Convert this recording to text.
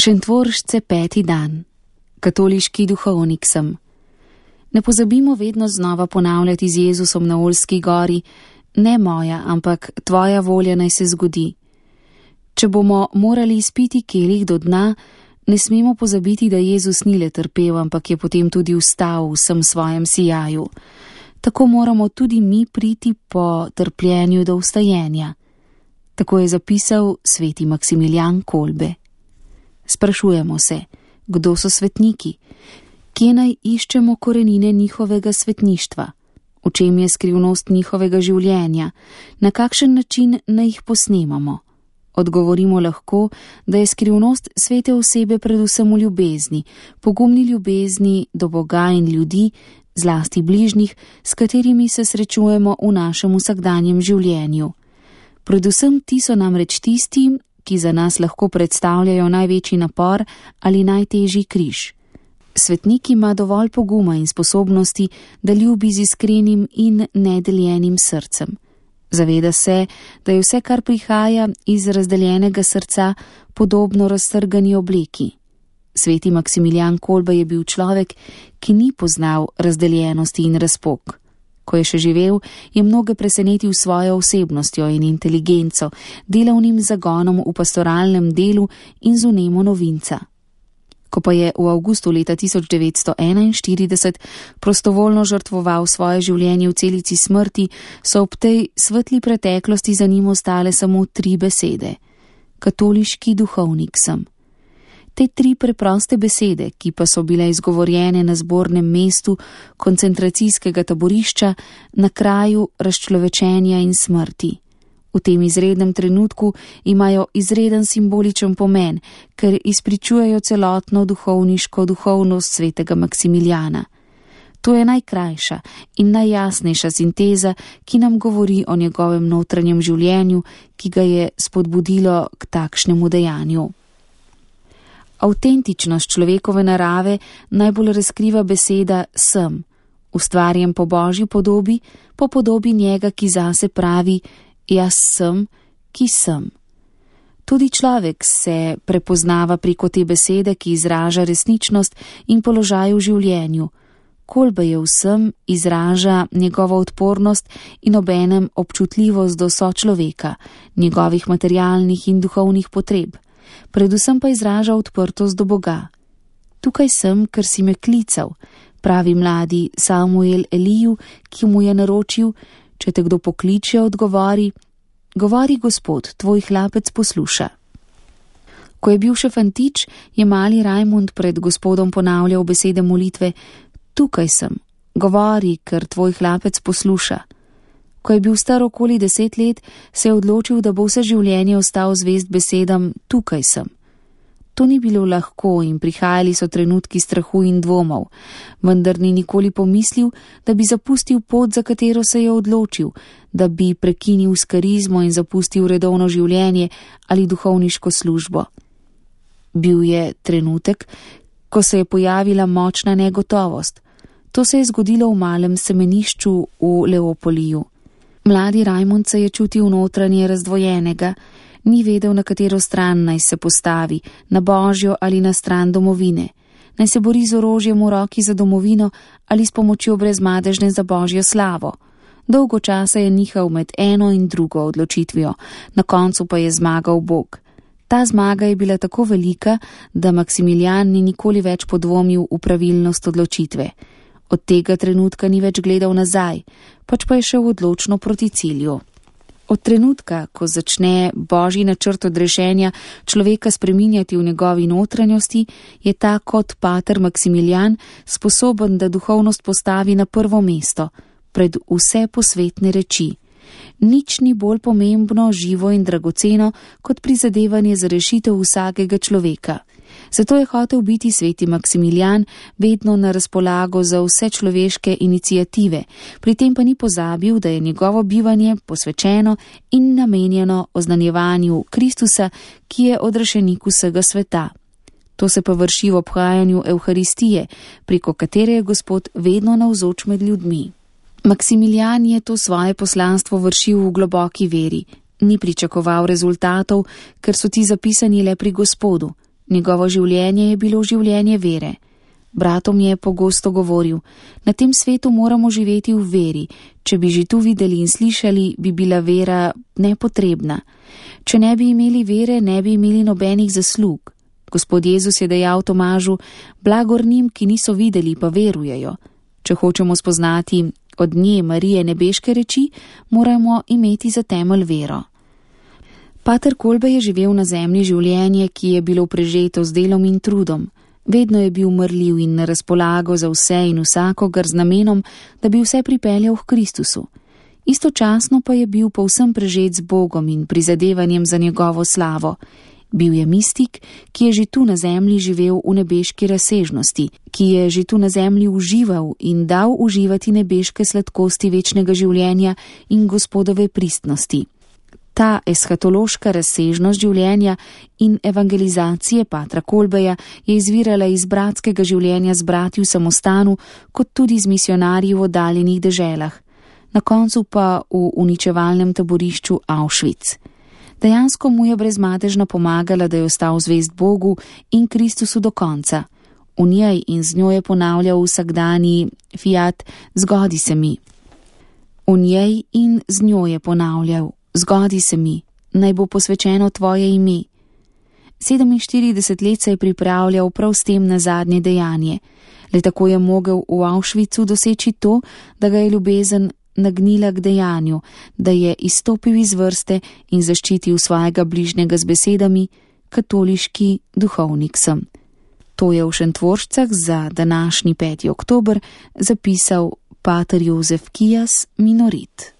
Šentvoršce 5. dan. Katoliški duhovnik sem. Ne pozabimo vedno znova ponavljati z Jezusom na Oljski gori: ne moja, ampak tvoja volja naj se zgodi. Če bomo morali izpiti kelih do dna, ne smemo pozabiti, da Jezus ni le trpel, ampak je potem tudi vstal v vsem svojem sijaju. Tako moramo tudi mi priti po trpljenju do vstajenja. Tako je zapisal sveti Maksimilijan Kolbe. Sprašujemo se, kdo so svetniki? Kje naj iščemo korenine njihovega svetništva? V čem je skrivnost njihovega življenja? Na kakšen način naj jih posnemamo? Odgovorimo lahko, da je skrivnost svete osebe predvsem v ljubezni, pogumni ljubezni do Boga in ljudi, zlasti bližnjih, s katerimi se srečujemo v našem vsakdanjem življenju. Predvsem ti so namreč tisti, ki za nas lahko predstavljajo največji napor ali najtežji križ. Svetnik ima dovolj poguma in sposobnosti, da ljubi z iskrenim in nedeljenim srcem. Zaveda se, da je vse, kar prihaja iz razdeljenega srca, podobno raztrgani obleki. Sveti Maksimilijan Kolbe je bil človek, ki ni poznal razdeljenosti in razpok. Ko je še živel, je mnoge presenetil svojo osebnostjo in inteligenco, delavnim zagonom v pastoralnem delu in z vnemo novinca. Ko pa je v avgustu leta 1941 prostovoljno žrtvoval svoje življenje v celici smrti, so ob tej svetli preteklosti za njim ostale samo 3 besede: katoliški duhovnik sem. Te 3 preproste besede, ki pa so bile izgovorjene na zbornem mestu koncentracijskega taborišča, na kraju razčlovečenja in smrti. V tem izrednem trenutku imajo izreden simboličen pomen, ker izpričujejo celotno duhovniško duhovnost svetega Maksimilijana. To je najkrajša in najjasnejša sinteza, ki nam govori o njegovem notranjem življenju, ki ga je spodbudilo k takšnemu dejanju. Avtentičnost človekove narave najbolj razkriva beseda sem, ustvarjen po Božji podobi, po podobi njega, ki zase pravi: jaz sem, ki sem. Tudi človek se prepoznava preko te besede, ki izraža resničnost in položaj v življenju. Kolbe je vsem izraža njegovo odpornost in obenem občutljivost do sočloveka, njegovih materialnih in duhovnih potreb. Predvsem pa izraža odprtost do Boga. Tukaj sem, ker si me klical, pravi mladi Samuel Eliju, ki mu je naročil: če te kdo pokliče, odgovori: govori Gospod, tvoj hlapec posluša. Ko je bil še fantič, je mali Rajmund pred Gospodom ponavljal besede molitve: tukaj sem, govori, ker tvoj hlapec posluša. Ko je bil star okoli 10 let, se je odločil, da bo vse življenje ostal zvest besedam: tukaj sem. To ni bilo lahko in prihajali so trenutki strahu in dvomov, vendar ni nikoli pomislil, da bi zapustil pot, za katero se je odločil, da bi prekinil s karizmo in zapustil redovno življenje ali duhovniško službo. Bil je trenutek, ko se je pojavila močna negotovost. To se je zgodilo v malem semenišču v Leopoliju. Mladi Rajmund se je čutil notranje razdvojenega, ni vedel, na katero stran naj se postavi, na Božjo ali na stran domovine. Naj se bori z orožjem v roki za domovino ali s pomočjo brezmadežne za Božjo slavo. Dolgo časa je nihal med eno in drugo odločitvijo, na koncu pa je zmagal Bog. Ta zmaga je bila tako velika, da Maksimilijan ni nikoli več podvomil v pravilnost odločitve. Od tega trenutka ni več gledal nazaj, pač pa je šel odločno proti cilju. Od trenutka, ko začne Božji načrt odrešenja človeka spreminjati v njegovi notranjosti, je ta kot pater Maksimilijan sposoben, da duhovnost postavi na prvo mesto, pred vse posvetne reči. Nič ni bolj pomembno, živo in dragoceno, kot prizadevanje za rešitev vsakega človeka. Zato je hotel biti sveti Maksimilijan vedno na razpolago za vse človeške iniciative, pri tem pa ni pozabil, da je njegovo bivanje posvečeno in namenjeno oznanjevanju Kristusa, ki je odrešenik vsega sveta. To se pa vrši v obhajanju Evharistije, preko katere je Gospod vedno navzoč med ljudmi. Maksimilijan je to svoje poslanstvo vršil v globoki veri. Ni pričakoval rezultatov, ker so ti zapisani le pri Gospodu. Njegovo življenje je bilo življenje vere. Bratom je pogosto govoril: na tem svetu moramo živeti v veri. Če bi že tu videli in slišali, bi bila vera nepotrebna. Če ne bi imeli vere, ne bi imeli nobenih zaslug. Gospod Jezus je dejal Tomažu: blagor njim, ki niso videli, pa verujejo. Če hočemo spoznati od nje Marije nebeške reči, moramo imeti za temelj vero. Pater Kolbe je živel na zemlji življenje, ki je bilo prežeto z delom in trudom. Vedno je bil mrljiv in na razpolago za vse in vsakogar z namenom, da bi vse pripeljal k Kristusu. Istočasno pa je bil povsem prežet z Bogom in prizadevanjem za njegovo slavo. Bil je mistik, ki je že tu na zemlji živel v nebeški razsežnosti, ki je že tu na zemlji užival in dal uživati nebeške sladkosti večnega življenja in Gospodove pristnosti. Ta eshatološka razsežnost življenja in evangelizacije patra Kolbeja je izvirala iz bratskega življenja z brati v samostanu, kot tudi z misionarji v oddaljenih deželah, na koncu pa v uničevalnem taborišču Auschwitz. Dejansko mu je brezmadežno pomagala, da je ostal zvest Bogu in Kristusu do konca. V njej in z njo je ponavljal vsakdanji fiat: zgodi se mi. V njej in z njo je ponavljal: zgodi se mi, naj bo posvečeno tvoje ime. 47 let se je pripravljal prav s tem na zadnje dejanje. Le tako je mogel v Auschwitzu doseči to, da ga je ljubezen nagnila k dejanju, da je izstopil iz vrste in zaščitil svojega bližnjega z besedami: katoliški duhovnik sem. To je v Šentvoršcah za današnji 5. oktober zapisal pater Jozef Kijas, minorit.